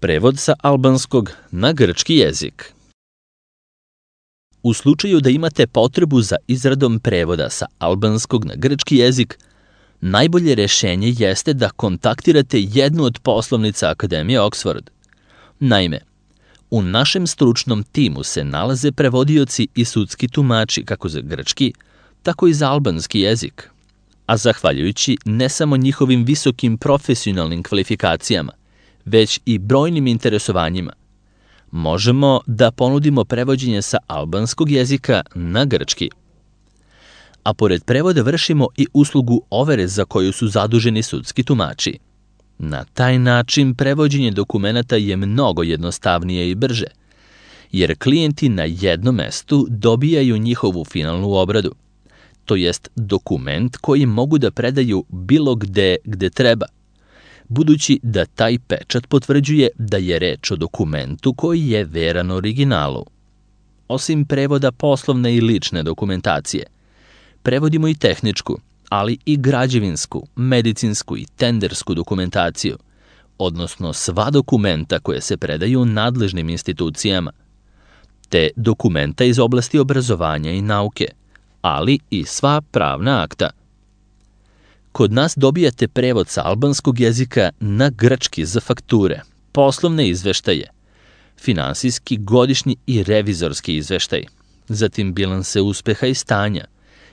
Prevod sa albanskog na grčki jezik. U slučaju da imate potrebu za izradom prevoda sa albanskog na grčki jezik, najbolje rešenje jeste da kontaktirate jednu od poslovnica Akademije Oxford. Naime, u našem stručnom timu se nalaze prevodioci i sudski tumači kako za grčki, tako i za albanski jezik. A zahvaljujući ne samo njihovim visokim profesionalnim kvalifikacijama, već i brojnim interesovanjima, možemo da ponudimo prevođenje sa albanskog jezika na grčki. A pored prevoda vršimo i uslugu overe za koju su zaduženi sudski tumači. Na taj način prevođenje dokumenata je mnogo jednostavnije i brže, jer klijenti na jednom mestu dobijaju njihovu finalnu obradu, to jest dokument koji mogu da predaju bilo gde treba, budući da taj pečat potvrđuje da je reč o dokumentu koji je veran originalu. Osim prevoda poslovne i lične dokumentacije, prevodimo i tehničku, ali i građevinsku, medicinsku i tendersku dokumentaciju, odnosno sva dokumenta koje se predaju nadležnim institucijama, te dokumenta iz oblasti obrazovanja i nauke, ali i sva pravna akta. Kod nas dobijate prevod sa albanskog jezika na grčki za fakture, poslovne izveštaje, finansijski, godišnji i revizorski izveštaj, zatim bilanse uspeha i stanja,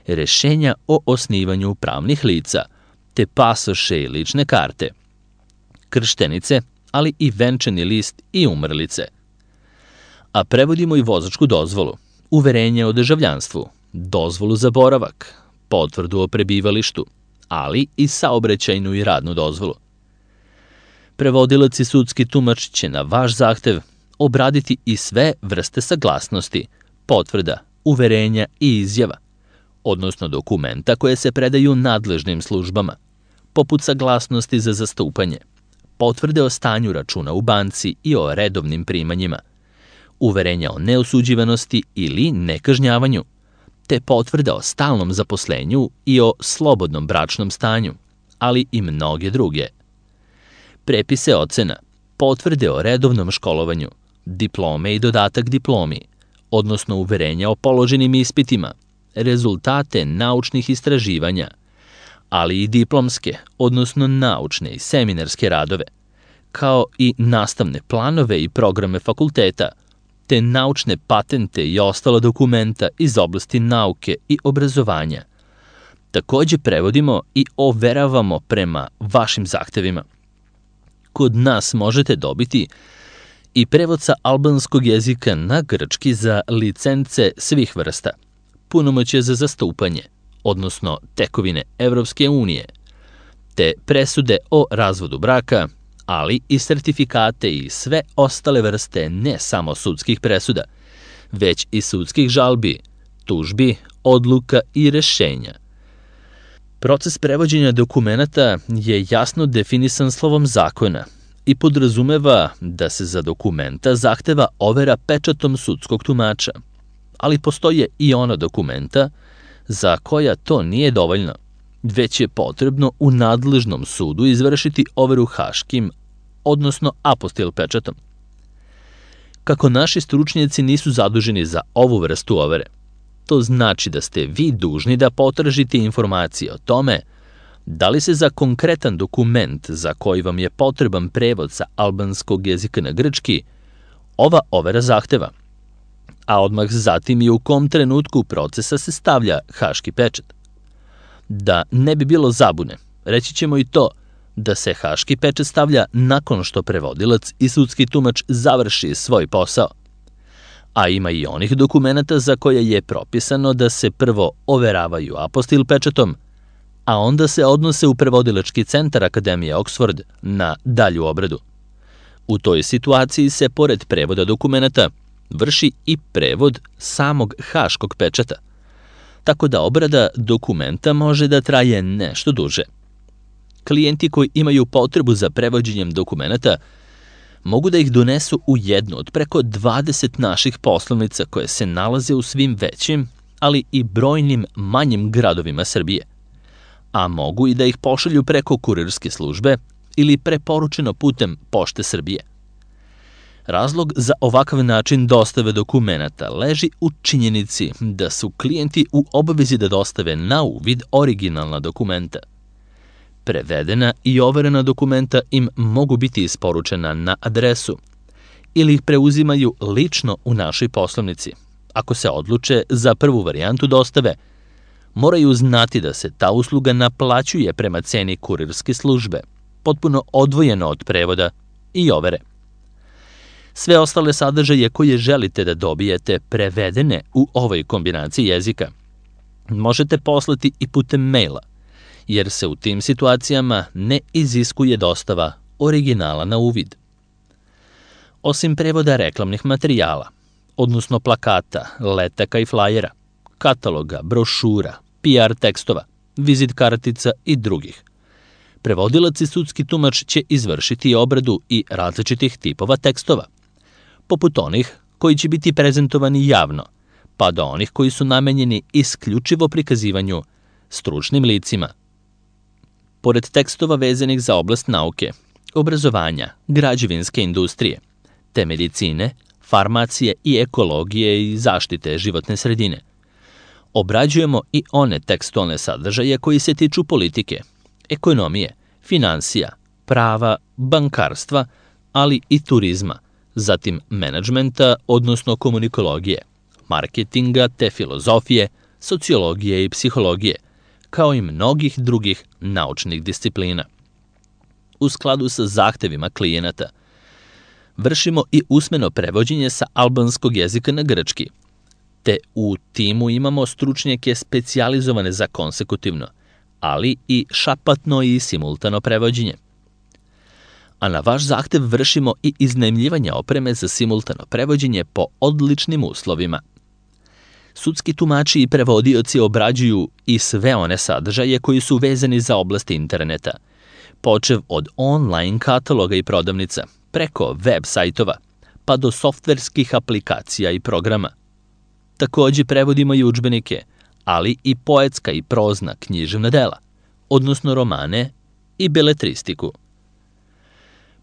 rešenja o osnivanju pravnih lica, te pasoše i lične karte, krštenice, ali i venčani list i umrlice. A prevodimo i vozačku dozvolu, uverenje o državljanstvu, dozvolu za boravak, potvrdu o prebivalištu, ali i saobraćajnu i radnu dozvolu. Prevodilac i sudski tumač će na vaš zahtev obraditi i sve vrste saglasnosti, potvrda, uverenja i izjava, odnosno dokumenta koje se predaju nadležnim službama, poput saglasnosti za zastupanje, potvrde o stanju računa u banci i o redovnim primanjima, uverenja o neosuđivanosti ili nekažnjavanju, te potvrda o stalnom zaposlenju i o slobodnom bračnom stanju, ali i mnoge druge. Prepise ocena, potvrde o redovnom školovanju, diplome i dodatak diplomi, odnosno uverenja o položenim ispitima, rezultate naučnih istraživanja, ali i diplomske, odnosno naučne i seminarske radove, kao i nastavne planove i programe fakulteta, te naučne patente i ostala dokumenta iz oblasti nauke i obrazovanja. Takođe prevodimo i overavamo prema vašim zahtevima. Kod nas možete dobiti i prevod sa albanskog jezika na grčki za licence svih vrsta, punomoćje za zastupanje, odnosno tekovine Evropske unije, te presude o razvodu braka, ali i sertifikate i sve ostale vrste ne samo sudskih presuda, već i sudskih žalbi, tužbi, odluka i rešenja. Proces prevođenja dokumenata je jasno definisan slovom zakona i podrazumeva da se za dokumenta zahteva overa pečatom sudskog tumača, ali postoje i ona dokumenta za koja to nije dovoljno, već je potrebno u nadležnom sudu izvršiti overu haškim, odnosno apostil pečatom. Kako naši stručnjaci nisu zaduženi za ovu vrstu overe, to znači da ste vi dužni da potražite informacije o tome da li se za konkretan dokument za koji vam je potreban prevod sa albanskog jezika na grčki ova overa zahteva, a odmah zatim i u kom trenutku procesa se stavlja haški pečat. Da ne bi bilo zabune, reći ćemo i to da se haški pečat stavlja nakon što prevodilac i sudski tumač završi svoj posao. A ima i onih dokumenata za koje je propisano da se prvo overavaju apostil pečatom, a onda se odnose u prevodilački centar Akademije Oxford na dalju obradu. U toj situaciji se, pored prevoda dokumenata, vrši i prevod samog haškog pečata, tako da obrada dokumenta može da traje nešto duže. Klijenti koji imaju potrebu za prevođenjem dokumenata mogu da ih donesu u jednu od preko 20 naših poslovnica koje se nalaze u svim većim, ali i brojnim manjim gradovima Srbije, a mogu i da ih pošalju preko kurirske službe ili preporučeno putem Pošte Srbije. Razlog za ovakav način dostave dokumenata leži u činjenici da su klijenti u obavezi da dostave na uvid originalna dokumenta. Prevedena i overena dokumenta im mogu biti isporučena na adresu ili ih preuzimaju lično u našoj poslovnici. Ako se odluče za prvu varijantu dostave, moraju znati da se ta usluga naplaćuje prema ceni kurirske službe, potpuno odvojeno od prevoda i overe. Sve ostale sadržaje koje želite da dobijete prevedene u ovoj kombinaciji jezika možete poslati i putem maila, jer se u tim situacijama ne iziskuje dostava originala na uvid. Osim prevoda reklamnih materijala, odnosno plakata, letaka i flajera, kataloga, brošura, PR tekstova, vizit kartica i drugih, prevodilac i sudski tumač će izvršiti obradu i različitih tipova tekstova, poput onih koji će biti prezentovani javno, pa do onih koji su namenjeni isključivo prikazivanju stručnim licima. Pored tekstova vezanih za oblast nauke, obrazovanja, građevinske industrije, te medicine, farmacije i ekologije i zaštite životne sredine, obrađujemo i one tekstualne sadržaje koji se tiču politike, ekonomije, finansija, prava, bankarstva, ali i turizma, zatim menadžmenta, odnosno komunikologije, marketinga te filozofije, sociologije i psihologije, kao i mnogih drugih naučnih disciplina. U skladu sa zahtevima klijenata, vršimo i usmeno prevođenje sa albanskog jezika na grčki, te u timu imamo stručnjake specijalizovane za konsekutivno, ali i šapatno i simultano prevođenje. A na vaš zahtev vršimo i iznajmljivanje opreme za simultano prevođenje po odličnim uslovima. Sudski tumači i prevodioci obrađuju i sve one sadržaje koji su vezani za oblast interneta, počev od online kataloga i prodavnica, preko web sajtova, pa do softverskih aplikacija i programa. Takođe prevodimo i udžbenike, ali i poetska i prozna književna dela, odnosno romane i beletristiku.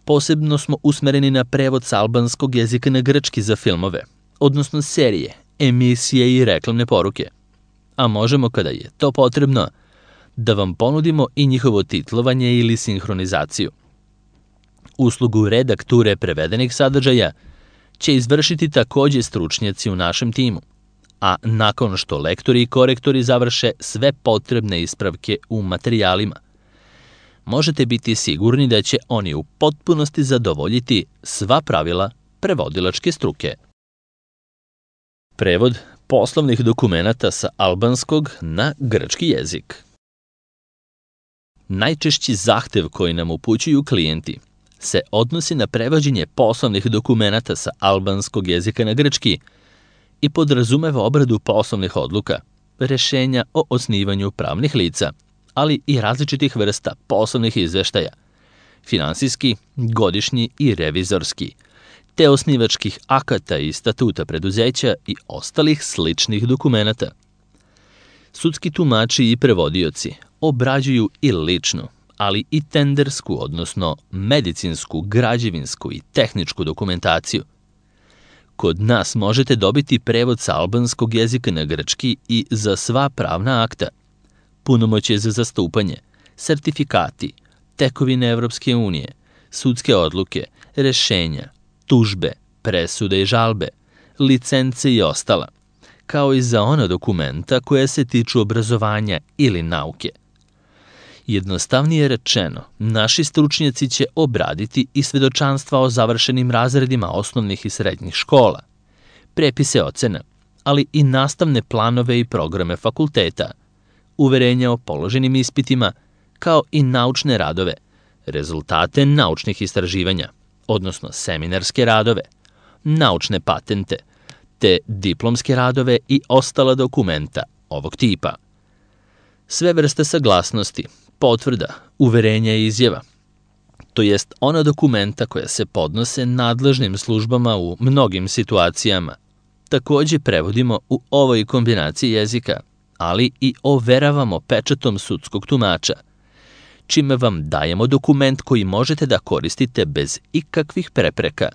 Posebno smo usmereni na prevod sa albanskog jezika na grčki za filmove, odnosno serije, emisije i reklamne poruke. A možemo, kada je to potrebno, da vam ponudimo i njihovo titlovanje ili sinhronizaciju. Uslugu redakture prevedenih sadržaja će izvršiti takođe stručnjaci u našem timu, a nakon što lektori i korektori završe sve potrebne ispravke u materijalima, možete biti sigurni da će oni u potpunosti zadovoljiti sva pravila prevodilačke struke. Prevod poslovnih dokumenata sa albanskog na grčki jezik. Najčešći zahtev koji nam upućuju klijenti se odnosi na prevođenje poslovnih dokumenata sa albanskog jezika na grčki i podrazumeva obradu poslovnih odluka, rešenja o osnivanju pravnih lica, ali i različitih vrsta poslovnih izveštaja, finansijski, godišnji i revizorski, te osnivačkih akata i statuta preduzeća i ostalih sličnih dokumenata. Sudski tumači i prevodioci obrađuju i ličnu, ali i tendersku, odnosno medicinsku, građevinsku i tehničku dokumentaciju. Kod nas možete dobiti prevod sa albanskog jezika na grčki i za sva pravna akta, punomoćje za zastupanje, sertifikati, tekovine Evropske unije, sudske odluke, rešenja, tužbe, presude i žalbe, licence i ostala, kao i za ona dokumenta koja se tiču obrazovanja ili nauke. Jednostavnije rečeno, naši stručnjaci će obraditi i svedočanstva o završenim razredima osnovnih i srednjih škola, prepise ocena, ali i nastavne planove i programe fakulteta, uverenja o položenim ispitima, kao i naučne radove, rezultate naučnih istraživanja, odnosno seminarske radove, naučne patente, te diplomske radove i ostala dokumenta ovog tipa. Sve vrste saglasnosti, potvrda, uverenja i izjava, to jest ona dokumenta koja se podnose nadležnim službama u mnogim situacijama, takođe prevodimo u ovoj kombinaciji jezika, ali i overavamo pečatom sudskog tumača, čime vam dajemo dokument koji možete da koristite bez ikakvih prepreka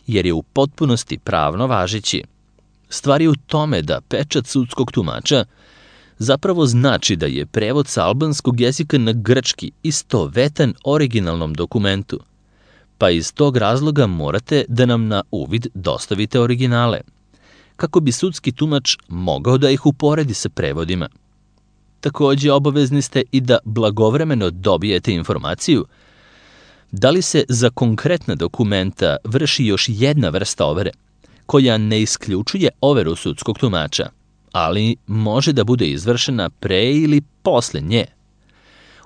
jer je u potpunosti pravno važeći. Stvar je u tome da pečat sudskog tumača zapravo znači da je prevod sa albanskog jezika na grčki istovetan originalnom dokumentu, pa iz tog razloga morate da nam na uvid dostavite originale, kako bi sudski tumač mogao da ih uporedi sa prevodima. Takođe, obavezni ste i da blagovremeno dobijete informaciju da li se za konkretna dokumenta vrši još jedna vrsta overe, koja ne isključuje overu sudskog tumača, ali može da bude izvršena pre ili posle nje.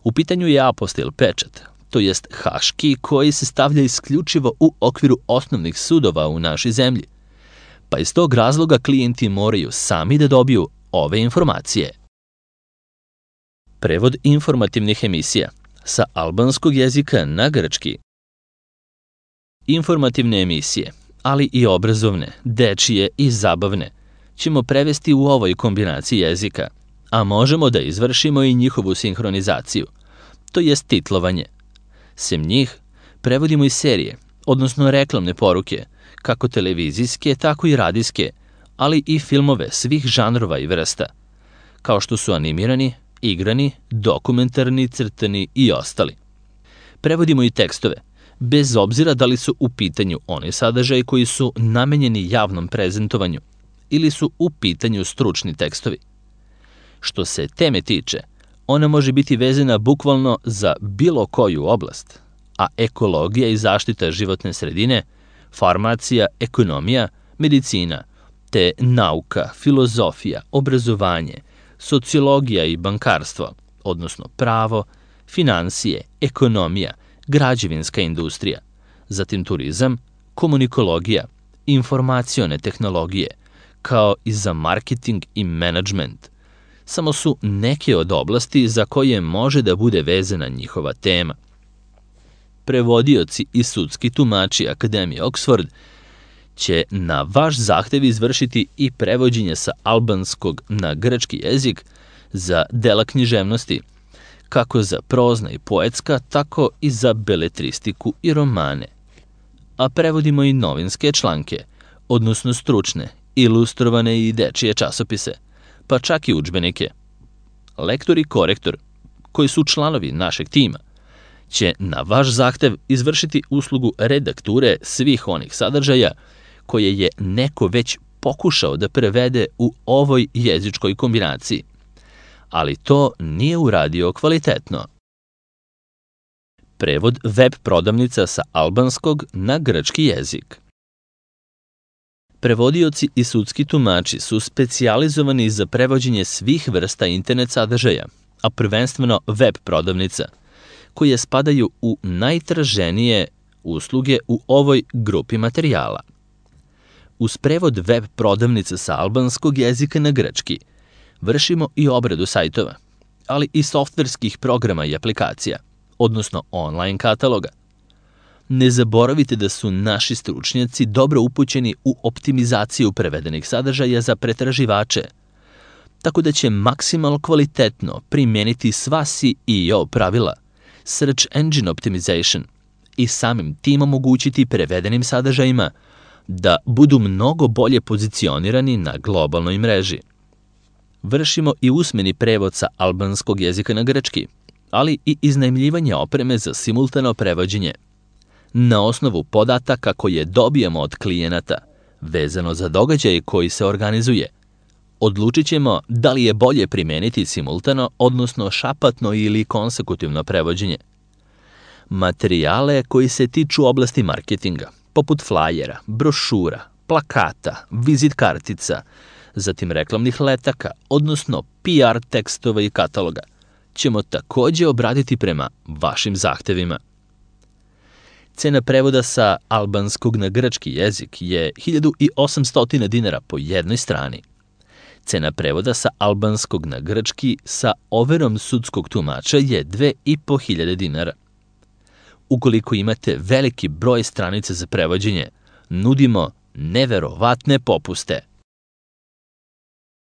U pitanju je apostil pečat, to jest haški, koji se stavlja isključivo u okviru osnovnih sudova u našoj zemlji, pa iz tog razloga klijenti moraju sami da dobiju ove informacije. Prevod informativnih emisija sa albanskog jezika na grčki. Informativne emisije, ali i obrazovne, dečije i zabavne, ćemo prevesti u ovoj kombinaciji jezika, a možemo da izvršimo i njihovu sinhronizaciju, to jest titlovanje. Sem njih, prevodimo i serije, odnosno reklamne poruke, kako televizijske, tako i radijske, ali i filmove svih žanrova i vrsta, kao što su animirani, igrani, dokumentarni, crtani i ostali. Prevodimo i tekstove, bez obzira da li su u pitanju oni sadržaji koji su namenjeni javnom prezentovanju ili su u pitanju stručni tekstovi. Što se teme tiče, ona može biti vezana bukvalno za bilo koju oblast, a ekologija i zaštita životne sredine, farmacija, ekonomija, medicina, te nauka, filozofija, obrazovanje, sociologija i bankarstvo, odnosno pravo, finansije, ekonomija, građevinska industrija, zatim turizam, komunikologija, informacione tehnologije, kao i za marketing i menadžment, samo su neke od oblasti za koje može da bude vezana njihova tema. Prevodioci i sudski tumači Akademije Oxford će na vaš zahtev izvršiti i prevođenje sa albanskog na grčki jezik za dela književnosti, kako za prozna i poetska, tako i za beletristiku i romane. A prevodimo i novinske članke, odnosno stručne, ilustrovane i dečije časopise, pa čak i udžbenike. Lektor i korektor, koji su članovi našeg tima, će na vaš zahtev izvršiti uslugu redakture svih onih sadržaja koje je neko već pokušao da prevede u ovoj jezičkoj kombinaciji, ali to nije uradio kvalitetno. Prevod web prodavnica sa albanskog na grčki jezik. Prevodioci i sudski tumači su specijalizovani za prevođenje svih vrsta internet sadržaja, a prvenstveno web prodavnica, koje spadaju u najtraženije usluge u ovoj grupi materijala. Uz prevod web prodavnice sa albanskog jezika na grčki vršimo i obradu sajtova, ali i softverskih programa i aplikacija, odnosno online kataloga. Ne zaboravite da su naši stručnjaci dobro upućeni u optimizaciju prevedenih sadržaja za pretraživače, tako da će maksimalno kvalitetno primeniti sva SEO pravila, Search Engine Optimization, i samim tim omogućiti prevedenim sadržajima da budu mnogo bolje pozicionirani na globalnoj mreži. Vršimo i usmeni prevod sa albanskog jezika na grčki, ali i iznajmljivanje opreme za simultano prevođenje. Na osnovu podataka koje dobijemo od klijenata, vezano za događaj koji se organizuje, odlučit ćemo da li je bolje primeniti simultano, odnosno šapatno ili konsekutivno prevođenje. Materijale koji se tiču oblasti marketinga, poput flajera, brošura, plakata, vizit kartica, zatim reklamnih letaka, odnosno PR tekstova i kataloga, ćemo takođe obraditi prema vašim zahtevima. Cena prevoda sa albanskog na grčki jezik je 1800 dinara po jednoj strani. Cena prevoda sa albanskog na grčki sa overom sudskog tumača je 2500 dinara. Ukoliko imate veliki broj stranica za prevođenje, nudimo neverovatne popuste.